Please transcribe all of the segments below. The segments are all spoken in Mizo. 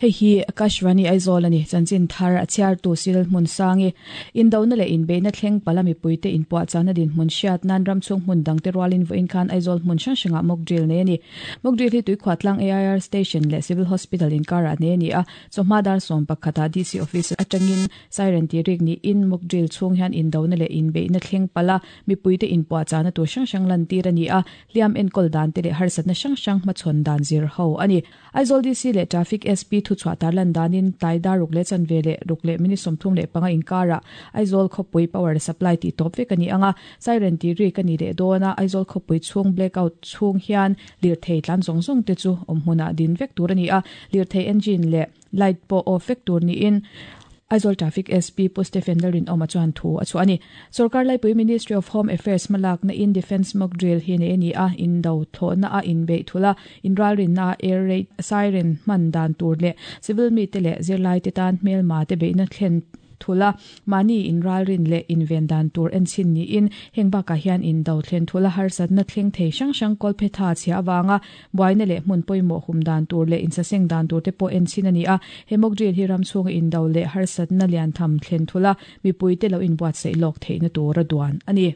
Hei hi Akashvani Aizawl a ni. Chanchin thar a chhiartu Cyril Hmunsangi. Indona leh inbeihna thleng pala mipuite inpuahchahna dinhmun hriat nan ramchhung hmun dangte rualin vawiin khan Aizawl hmun hrang hrangah mock drill nei a ni. Mock drill hi Tuikhuahtlang AIR Station leh Civil Hospital inkarah nei a ni a, chawhma dar 11 ah DC Office atangin siren tih rik niin mock drill chhung hian indona leh inbeihna thleng pala mipuite inpuahchahna tur hrang hrang lantir a ni a, hliam enkawl dante leh harsatna hrang hrang hmachhawn dan zir ho a ni. Aizawl DC leh Traffic SP thuchhuah tarlan danin tlai dar ruk leh chanve leh ruk leh minute 35 inkarah Aizawl khawpui power supply tih tawp vek a ni ang a, siren tih rik a ni leh dawn a, Aizawl khawpui chhung blackout chhung hian lirthei tlan zawng zawng te chu awm hmunah din vek tur a ni a, lirthei engine leh light pawh off vek tur niin Aizawl Traffic SP Pu Stephen Lalrinawma chuan thu a chhuah a ni. Sorkar laipui Ministry of Home Affairs hmalakna in Defence Mock Drill hi nei a ni a, indo thlawhna a inbeih thulh a, inralrinna a air raid siren hman dan tur leh civil mite leh zirlaite tan hmelma te beihna thlen thulh a, mahni inralrin leh inven dan tur enchhin niin heng bakah hian indo thlen thulh a harsatna thleng thei hrang hrang kawlphetha chhia avanga Buaina leh hmun pawimawh hum dan tur leh insaseng dan tur te pawh enchhin a ni a, he mock drill hi ram chhunga indo leh harsatna lian tham thlen thulh a, mipuite lo inbuatsaih lawk theihna tura duan a ni.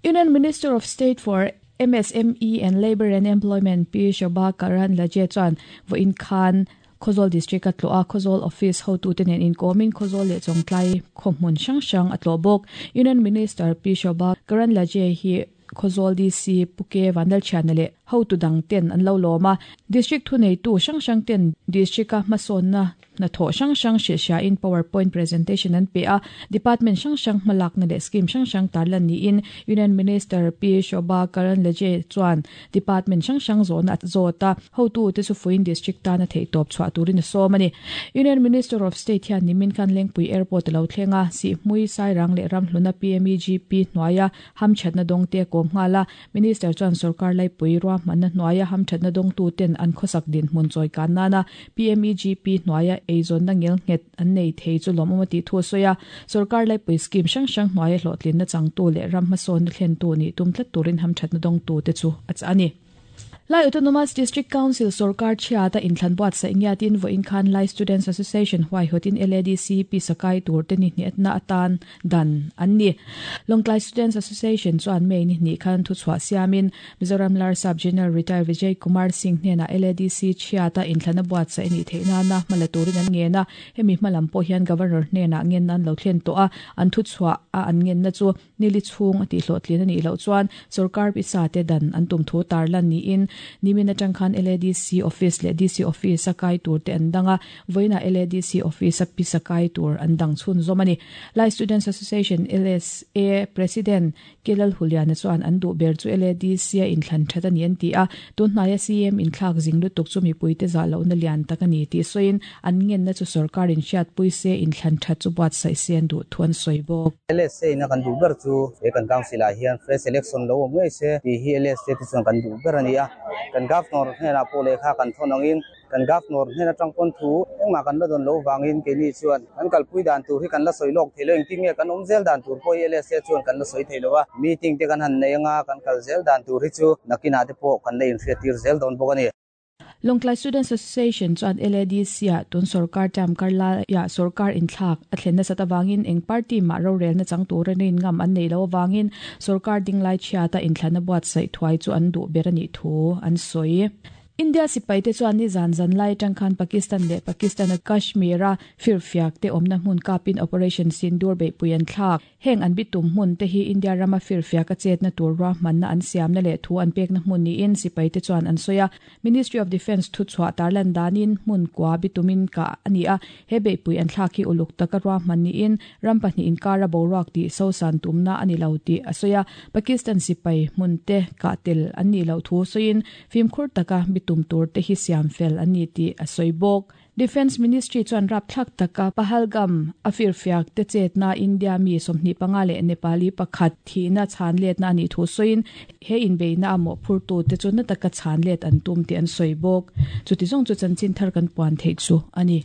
Union Minister of State for MSME and Labour and Employment Pi Shobha Karandlaje chuan vawiin khan Khawzawl District a tlawh a, Khawzawl Office hotute nen inkawmin Khawzawl leh Chawngtlai khawhmun hrang hrang a tlawh bawk. Union Minister Pi Shobha Karandlaje hi Khawzawl DC Pu Ke Vanlalthiana leh hotu dang ten an lo lawm a, District thuneitu hrang hrang ten District-a hmasawnna hnathawh hrang hrang hrilhhriain power point presentation an pe a, Department hrang hrang hmalakna leh scheme hrang hrang tarlan niin Union Minister Pi Shobha Karandlaje chuan Department hrang hrang zawhna a zawt a, hotute chu fuiin District tana theihtawp chhuah turin a sawm a ni. Union Minister of State hian nimin khan Lengpui Airport a lo thleng a, Sihhmui, Sairang leh Ramhluna PMEGP hnuaia hamthatna dawngte a kawm nghal a, Minister chuan sorkar laipui ruahmanna hnuaia hamthatna dawngtuten an khawsak dinhmun chawi kan nana PMEGP hnuaia eizawnna ngelnghet an nei thei chu lawmawm a tih thu a sawi a, sorkar laipui scheme hrang hrang hnuaia hlawhtlinna changtu leh ram hmasawnna thlentu nih tum tlat turin hamthatna dawngtute chu a chah a ni. Lai Autonomous District Council sorkar chhiata inthlan buatsaih ngiatin vawiin khan Lai Students Association huaihawtin LADC pisa kai tur te ni hniatna atan dan an ni. Lawngtlai Students Association chuan May ni hnih khan thuchhuah siamin Mizoram Larsap General Retired Vijay Kumar Singh hnenah LADC chhiata inthlana buatsaih a nih theih nana hmala turin an ngen a, hemi hmalam pawh hian Governor hnenah ngenna an lo thlen tawh a, an thuchhuah a an ngenna chu Nili chhung a tihhlawhtlin a nih loh chuan sorkar pisa te dan an tum thu tarlan niin nimin atang khan LADC office leh DC office a kai tur te an dang a, vawiinah LADC office a pisa kai tur an dang chhunzawm a ni. Lai Students Association, LSA, President Kelal Huliana chuan an duh ber chu LADC a inthlan that a ni an ti a, tunhnaia CM inthlak zing lutuk chu mipuite zah lohna lian tak a ni tih sawiin an ngenna chu sorkar inhriatpui se inthlan that chu buatsaih se an duh thu an sawi bawk. LSA ina kan duh ber chu he kan council ah hian fresh election lo awm ngei se tih hi LSA te chuan kan duh ber a ni a, kan governor hnenah pawh lehkha kan thawn angin kan governor hnen atang pawn thu engmah kan la dawn loh vangin keini chuan kan kalpui dan tur hi kan la sawi lawk thei lo, engtin nge kan awm zel dan tur pawh hi LSA chuan kan la sawi thei lo a, meeting te kan han nei anga kan kal zel dan tur hi chu nakinah te pawh kan la inhriattir zel dawn bawk a ni. Lawngtlai Students Association chuan LADC-ah tun sorkar term kar laiah sorkar inthlak a thlen nasat avangin eng party mah rorelna chang tura rin ngam an neih loh avangin sorkar dinglai chhiata inthlana buatsaih thuai chu an duh ber a nih thu an sawi. India sipaite chuan nizan zan lai atang khan Pakistan leh Pakistan-a Kashmir-a firfiak te awmna hmun kapin Operation Sindoor beihpui an thlak. Heng an bitum hmun te hi India rama firfiak a chetna tur ruahmanna an siamna leh thu an pekna hmun niin sipaite chuan an sawi a. Ministry of Defence thuchhuah tarlan danin hmun kua bitumin kah a ni a, he beihpui an thlak hi uluk taka ruahman niin ram pahnih inkara boruak tih sosan tumna a ni lo tih a sawi a. Pakistan sipai hmun te kah tel an nih loh thu sawiin fimkhur taka bitum tur te hi siam fel an ni tih a sawi bawk. Defence Ministry chuan rapthlak taka Pahalgam a firfiak te chetna India mi 25 leh Nepali pakhat thihna chhan letna a nih thu sawiin he inbeihna a mawhphurtu te chu na taka chhan let an tum tih an sawi bawk. Chuti zawng chu chanchin thar kan puan theih chu a ni.